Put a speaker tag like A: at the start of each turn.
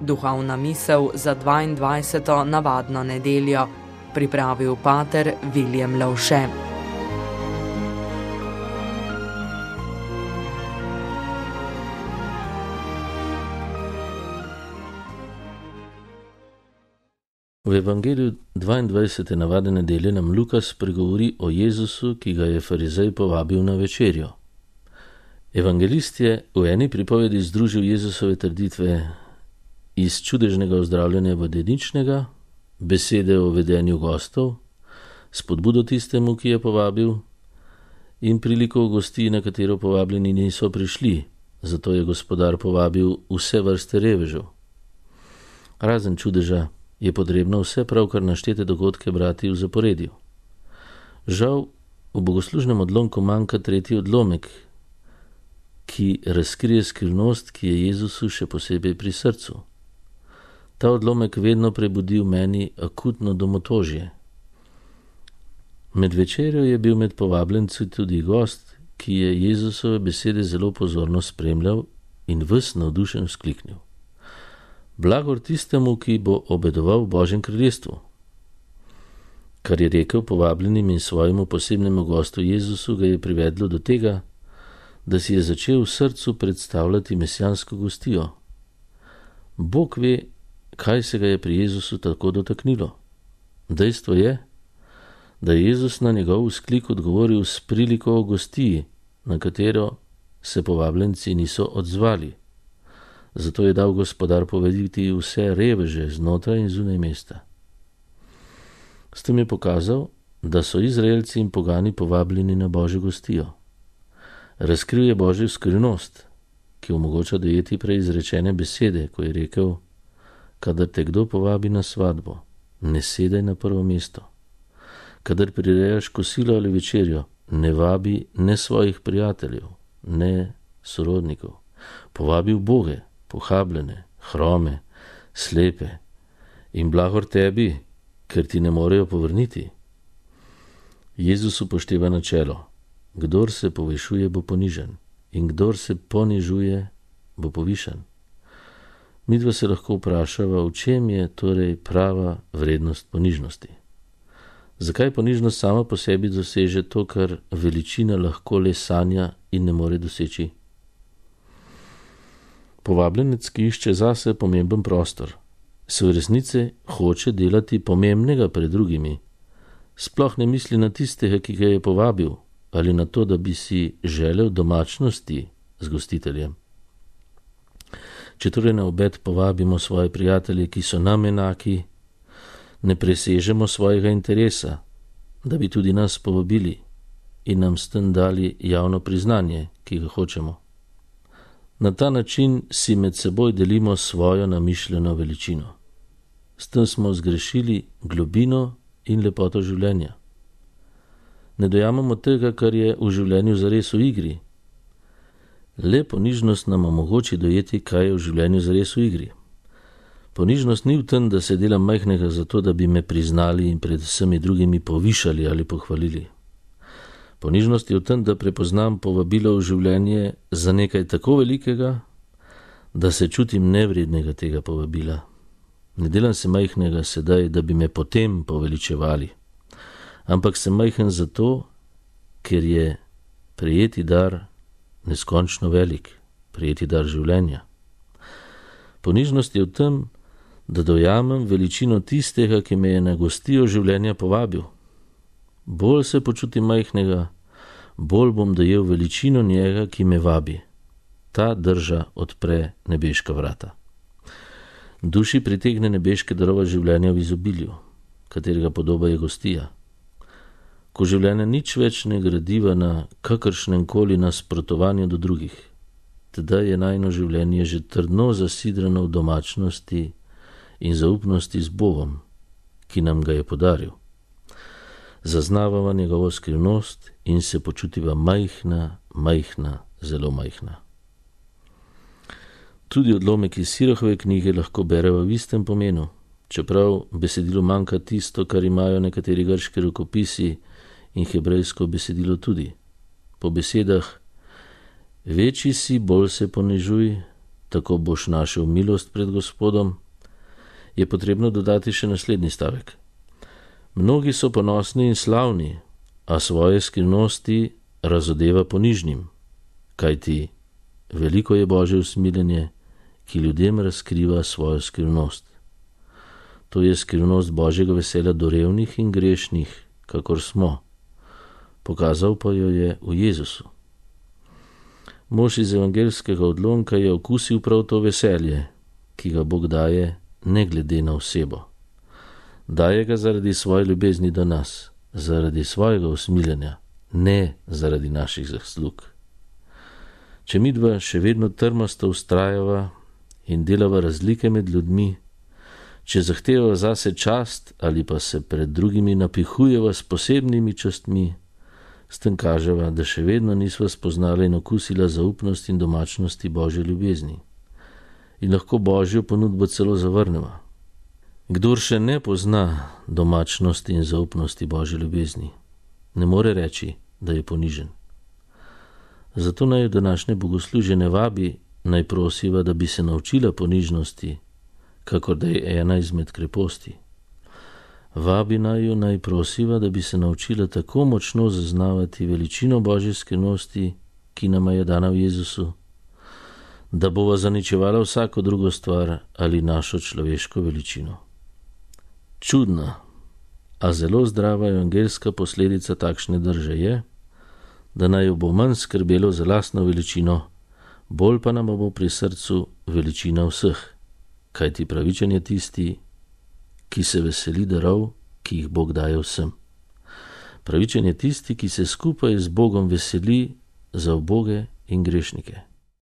A: Duhovna misel za 22. navadno nedeljo, pripravil pater Viljem Lovše.
B: V Evangeliju 22. navadne nedelje nam Lukas pregovori o Jezusu, ki ga je farizej povabil na večerjo. Evangelist je v eni pripovedi združil Jezusove trditve iz čudežnega ozdravljanja vodeničnega, besede o vedenju gostov, spodbudo tistemu, ki je povabil, in priliko gosti, na katero povabljeni niso prišli, zato je gospodar povabil vse vrste revežev. Razen čudeža je potrebno vse pravkar naštete dogodke brati v zaporedju. Žal, v bogoslužnem odlomku manjka tretji odlomek, ki razkrije skrivnost, ki je Jezusu še posebej pri srcu. Ta odlomek vedno prebudi v meni akutno domotožje. Med večerjo je bil med povabljenci tudi gost, ki je Jezusove besede zelo pozorno spremljal in ves navdušen vzkliknil: Blagor tistemu, ki bo obedoval v Božjem kraljestvu. Kar je rekel povabljenim in svojemu posebnemu gostu Jezusu, ga je privedlo do tega, da si je začel v srcu predstavljati mesijansko gostijo. Bog ve, kaj se ga je pri Jezusu tako dotaknilo. Dejstvo je, da je Jezus na njegov vzklik odgovoril s priliko o gostiji, na katero se povabljenci niso odzvali. Zato je dal gospodar povediti vse reveže znotraj in zunaj mesta. S tem je pokazal, da so Izraelci in pogani povabljeni na Božjo gostijo. Razkril je Božjo skrivnost, ki omogoča dojeti preizrečene besede, ko je rekel: kadar te kdo povabi na svatbo, ne sedaj na prvo mesto. Kadar prirejaš kosilo ali večerjo, ne vabi ne svojih prijateljev, ne sorodnikov. Povabi uboge, pohabljene, hrome, slepe in blagor tebi, ker ti ne morejo povrniti. Jezus upošteva načelo: kdor se povešuje, bo ponižen, in kdor se ponižuje, bo povišan. Midva se lahko vprašava, v čem je torej prava vrednost ponižnosti. Zakaj ponižnost sama po sebi doseže to, kar veličina lahko le sanja in ne more doseči? Povabljenec, ki išče zase pomemben prostor, se v resnici hoče delati pomembnega pred drugimi. Sploh ne misli na tistega, ki ga je povabil, ali na to, da bi si želel domačnosti z gostiteljem. Če torej na obed povabimo svoje prijatelje, ki so nam enaki, ne presežemo svojega interesa, da bi tudi nas povabili in nam s tem dali javno priznanje, ki ga hočemo. Na ta način si med seboj delimo svojo namišljeno veličino. S tem smo zgrešili globino in lepoto življenja. Ne dojamemo tega, kar je v življenju zares v igri. Le ponižnost nam omogoči dojeti, kaj je v življenju zares v igri. Ponižnost ni v tem, da se delam majhnega zato, da bi me priznali in pred vsemi drugimi povišali ali pohvalili. Ponižnost je v tem, da prepoznam povabilo v življenje za nekaj tako velikega, da se čutim nevrednega tega povabila. Ne delam se majhnega sedaj, da bi me potem poveličevali, ampak sem majhen zato, ker je prejeti dar neskončno velik, prejeti dar življenja. Ponižnost je v tem, da dojamem veličino tistega, ki me je na gostijo življenja povabil. Bolj se počutim majhnega, bolj bom dojel veličino njega, ki me vabi. Ta drža odpre nebeška vrata. Duši pritegne nebeške darova življenja v izobilju, katerega podoba je gostija. Ko življenje nič več ne gradiva na kakršnem koli nasprotovanju do drugih, teda je najino življenje že trdno zasidrano v domačnosti in zaupnosti z Bogom, ki nam ga je podaril. Zaznavava njegovo skrivnost in se počutiva majhna, zelo majhna. Tudi odlomek iz Sirahove knjige lahko bereva v istem pomenu, čeprav besedilo manjka tisto, kar imajo nekateri grški rokopisi in hebrejsko besedilo tudi. Po besedah: večji si, bolj se ponižuj, tako boš našel milost pred Gospodom, je potrebno dodati še naslednji stavek. Mnogi so ponosni in slavni, a svoje skrivnosti razodeva ponižnim, kajti veliko je Božje usmiljenje, ki ljudem razkriva svojo skrivnost. To je skrivnost Božjega veselja do revnih in grešnih, kakor smo. Pokazal pa jo je v Jezusu. Mož iz evangeljskega odlomka je okusil prav to veselje, ki ga Bog daje ne glede na osebo. Daje ga zaradi svoje ljubezni do nas, zaradi svojega usmiljenja, ne zaradi naših zaslug. Če midva še vedno trmasto vztrajava in delava razlike med ljudmi, če zahtevava zase čast ali pa se pred drugimi napihujeva s posebnimi častmi, s tem kaževa, da še vedno nisva spoznala in okusila zaupnosti in domačnosti Božje ljubezni. In lahko Božjo ponudbo celo zavrneva. Kdor še ne pozna domačnosti in zaupnosti Božje ljubezni, ne more reči, da je ponižen. Zato naj današnje bogoslužje ne vabi, naj prosiva, da bi se naučila ponižnosti, kakor da je ena izmed kreposti. Vabi naj jo, naj prosiva, da bi se naučila tako močno zaznavati veličino Božje skrivnosti, ki nama je dana v Jezusu, da bova zaničevala vsako drugo stvar ali našo človeško veličino. Čudna, a zelo zdrava evangeljska posledica takšne drže je, da naj jo bo manj skrbelo za lastno veličino, bolj pa nam bo pri srcu veličina vseh, kajti pravičen je tisti, ki se veseli darov, ki jih Bog daje vsem. Pravičen je tisti, ki se skupaj z Bogom veseli za uboge in grešnike.